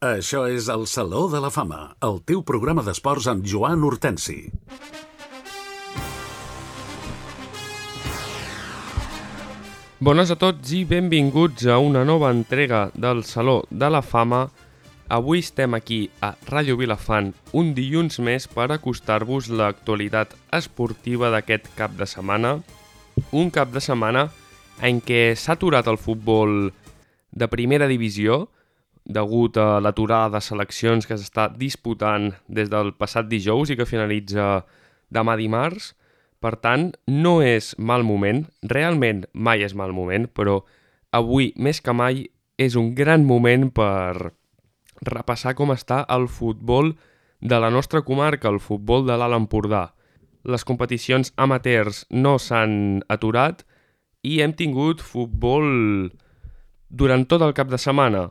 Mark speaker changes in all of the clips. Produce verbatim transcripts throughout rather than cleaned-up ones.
Speaker 1: Això és el Saló de la Fama, el teu programa d'esports amb Joan Hortensi.
Speaker 2: Bones a tots i benvinguts a una nova entrega del Saló de la Fama. Avui estem aquí a Ràdio Vilafant un dilluns més per acostar-vos l'actualitat esportiva d'aquest cap de setmana. Un cap de setmana en què s'ha aturat el futbol de primera divisió degut a l'aturada de seleccions que s'està disputant des del passat dijous i que finalitza demà dimarts. Per tant, no és mal moment, realment mai és mal moment, però avui més que mai és un gran moment per repassar com està el futbol de la nostra comarca, el futbol de l'Alt Empordà. Les competicions amateurs no s'han aturat i hem tingut futbol durant tot el cap de setmana.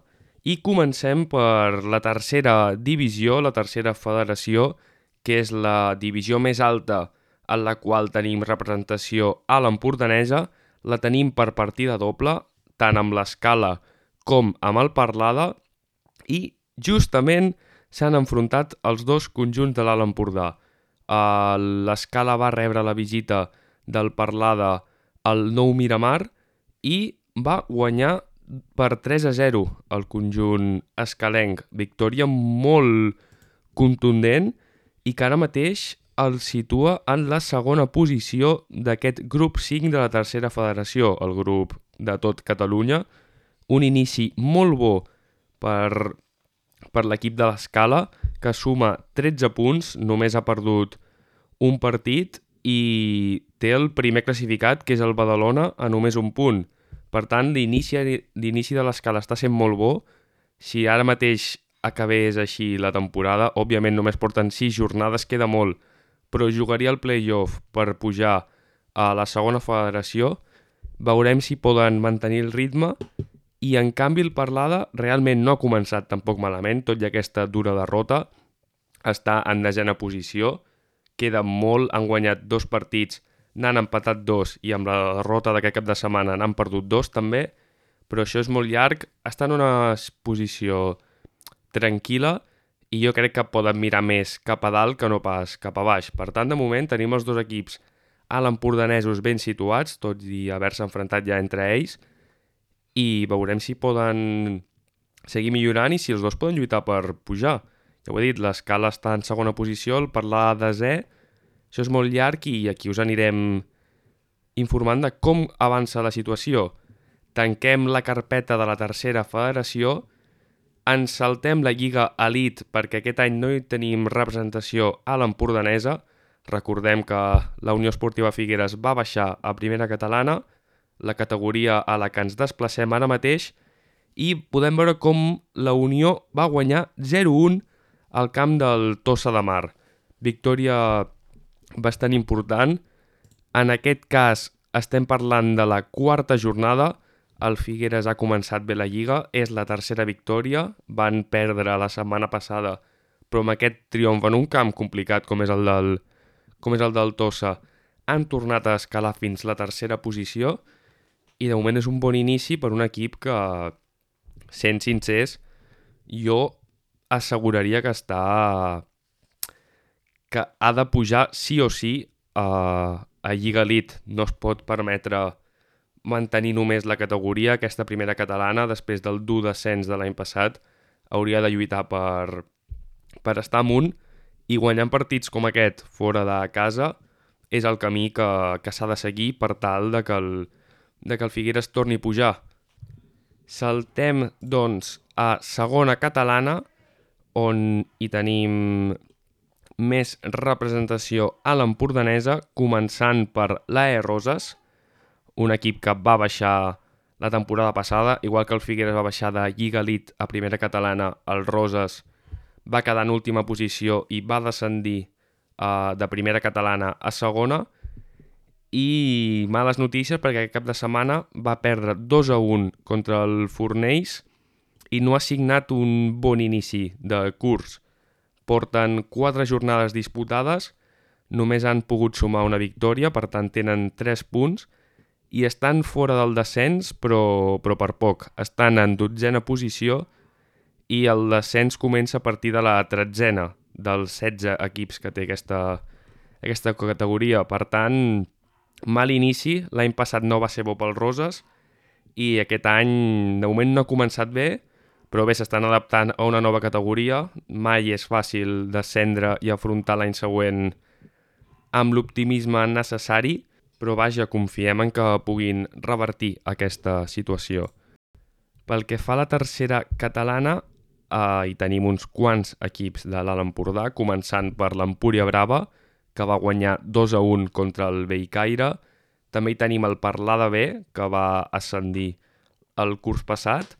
Speaker 2: I comencem per la tercera divisió, la tercera federació, que és la divisió més alta en la qual tenim representació a l'empordanesa. La tenim per partida doble, tant amb l'Escala com amb el Parlada, i justament s'han enfrontat els dos conjunts de l'Alt Empordà. L'Escala va rebre la visita del Parlada al Nou Miramar i va guanyar per tres a zero el conjunt escalenc. Victòria molt contundent i que ara mateix el situa en la segona posició d'aquest grup cinc de la tercera federació, el grup de tot Catalunya. Un inici molt bo per, per l'equip de l'Escala, que suma tretze punts, només ha perdut un partit i té el primer classificat, que és el Badalona, a només un punt. Per tant, l'inici de l'Escala està sent molt bo. Si ara mateix acabés així la temporada, òbviament només porten sis jornades, queda molt, però jugaria el play-off per pujar a la segona federació. Veurem si poden mantenir el ritme i, en canvi, el Parlada realment no ha començat tampoc malament, tot i aquesta dura derrota. Està en desena posició, queda molt, han guanyat dos partits, n'han empatat dos i amb la derrota d'aquest cap de setmana n'han perdut dos també, però això és molt llarg. Està en una posició tranquil·la i jo crec que poden mirar més cap a dalt que no pas cap a baix. Per tant, de moment tenim els dos equips a l'empordanesos ben situats, tot i haver-se enfrontat ja entre ells, i veurem si poden seguir millorant i si els dos poden lluitar per pujar. Ja ho he dit, l'Escala està en segona posició, el Parlada desè. Això és molt llarg i aquí us anirem informant de com avança la situació. Tanquem la carpeta de la tercera federació, ens saltem la Lliga Elite perquè aquest any no hi tenim representació a l'empordanesa. Recordem que la Unió Esportiva Figueres va baixar a primera catalana, la categoria a la que ens desplacem ara mateix, i podem veure com la Unió va guanyar zero a un al camp del Tossa de Mar. Victòria bastant important. En aquest cas estem parlant de la quarta jornada. El Figueres ha començat bé la Lliga, és la tercera victòria. Van perdre la setmana passada, però amb aquest triomf en un camp complicat com és el del, com és el del Tossa, han tornat a escalar fins la tercera posició i de moment és un bon inici per un equip que, sent sincers, jo asseguraria que està que ha de pujar sí o sí a, a Lliga Elite. No es pot permetre mantenir només la categoria. Aquesta primera catalana, després del dur descens de l'any passat, hauria de lluitar per, per estar amunt, i guanyant partits com aquest fora de casa és el camí que, que s'ha de seguir per tal de que el, de que el Figueres torni a pujar. Saltem, doncs, a segona catalana, on hi tenim més representació a l'empordanesa, començant per l'A E Roses, un equip que va baixar la temporada passada, igual que el Figueres va baixar de Lliga Elite a primera catalana. El Roses va quedar en última posició i va descendir uh, de primera catalana a segona. I males notícies perquè aquest cap de setmana va perdre dos a un contra el Fornells i no ha signat un bon inici de curs. Porten quatre jornades disputades, només han pogut sumar una victòria, per tant tenen tres punts, i estan fora del descens, però, però per poc. Estan en dotzena posició i el descens comença a partir de la tretzena dels setze equips que té aquesta, aquesta categoria. Per tant, mal inici. L'any passat no va ser bo pels Roses i aquest any de moment no ha començat bé, però bé, s'estan adaptant a una nova categoria. Mai és fàcil descendre i afrontar l'any següent amb l'optimisme necessari, però vaja, confiem en que puguin revertir aquesta situació. Pel que fa a la tercera catalana, eh, hi tenim uns quants equips de l'Alt Empordà, començant per l'Empúria Brava, que va guanyar dos a un contra el Bellcaire. També hi tenim el Parlada B, que va ascendir el curs passat,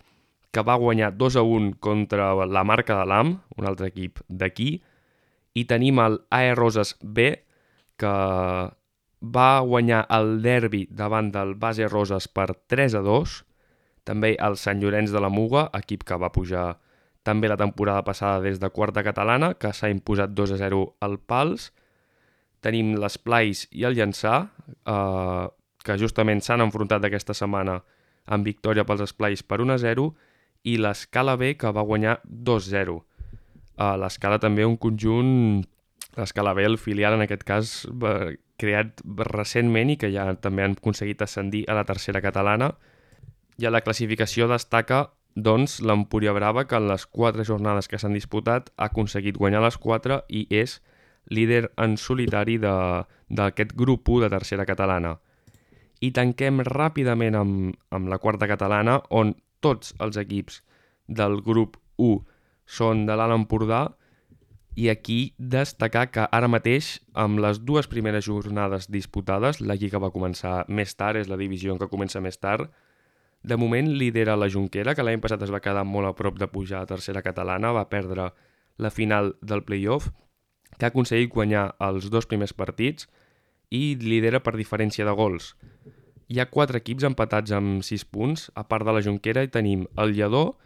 Speaker 2: que va guanyar dos a un contra la Marca de l'Am, un altre equip d'aquí. I tenim el A E Roses B, que va guanyar el derbi davant del Base Roses per tres a dos. També el Sant Llorenç de la Muga, equip que va pujar també la temporada passada des de quarta catalana, que s'ha imposat dos a zero al Pals. Tenim l'Esplais i el Llançà, eh, que justament s'han enfrontat aquesta setmana amb victòria pels Esplais per un a zero, i l'Escala B, que va guanyar dos a zero. Eh, L'Escala també un conjunt, l'Escala B, el filial en aquest cas, va, creat recentment i que ja també han aconseguit ascendir a la tercera catalana. I a la classificació destaca doncs, l'Empúria Brava, que en les quatre jornades que s'han disputat ha aconseguit guanyar les quatre i és líder en solitari d'aquest grup u de tercera catalana. I tanquem ràpidament amb, amb la quarta catalana, on tots els equips del grup u són de l'Alt Empordà, i aquí destacar que ara mateix, amb les dues primeres jornades disputades, la lliga va començar més tard, és la divisió en què comença més tard, de moment lidera la Jonquera, que l'any passat es va quedar molt a prop de pujar a tercera catalana, va perdre la final del play-off, que ha aconseguit guanyar els dos primers partits i lidera per diferència de gols. Hi ha quatre equips empatats amb sis punts, a part de la Jonquera hi tenim el Lledó,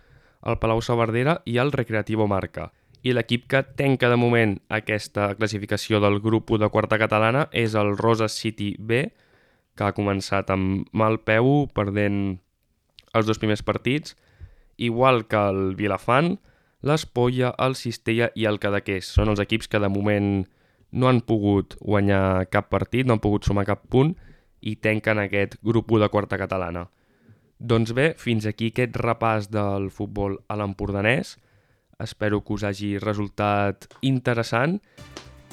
Speaker 2: el Palau-saverdera i el Recreativo Marca. I l'equip que tanca de moment aquesta classificació del grup u de quarta catalana és el Roses City B, que ha començat amb mal peu, perdent els dos primers partits, igual que el Vilafant, l'Espolla, el Cistella i el Cadaqués. Són els equips que de moment no han pogut guanyar cap partit, no han pogut sumar cap punt i tanquen aquest grup u de quarta catalana. Doncs bé, fins aquí aquest repàs del futbol a l'empordanès. Espero que us hagi resultat interessant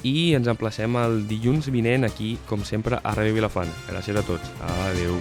Speaker 2: i ens emplacem el dilluns vinent aquí, com sempre, a Ràdio Vilafant. Gràcies a tots. Adéu.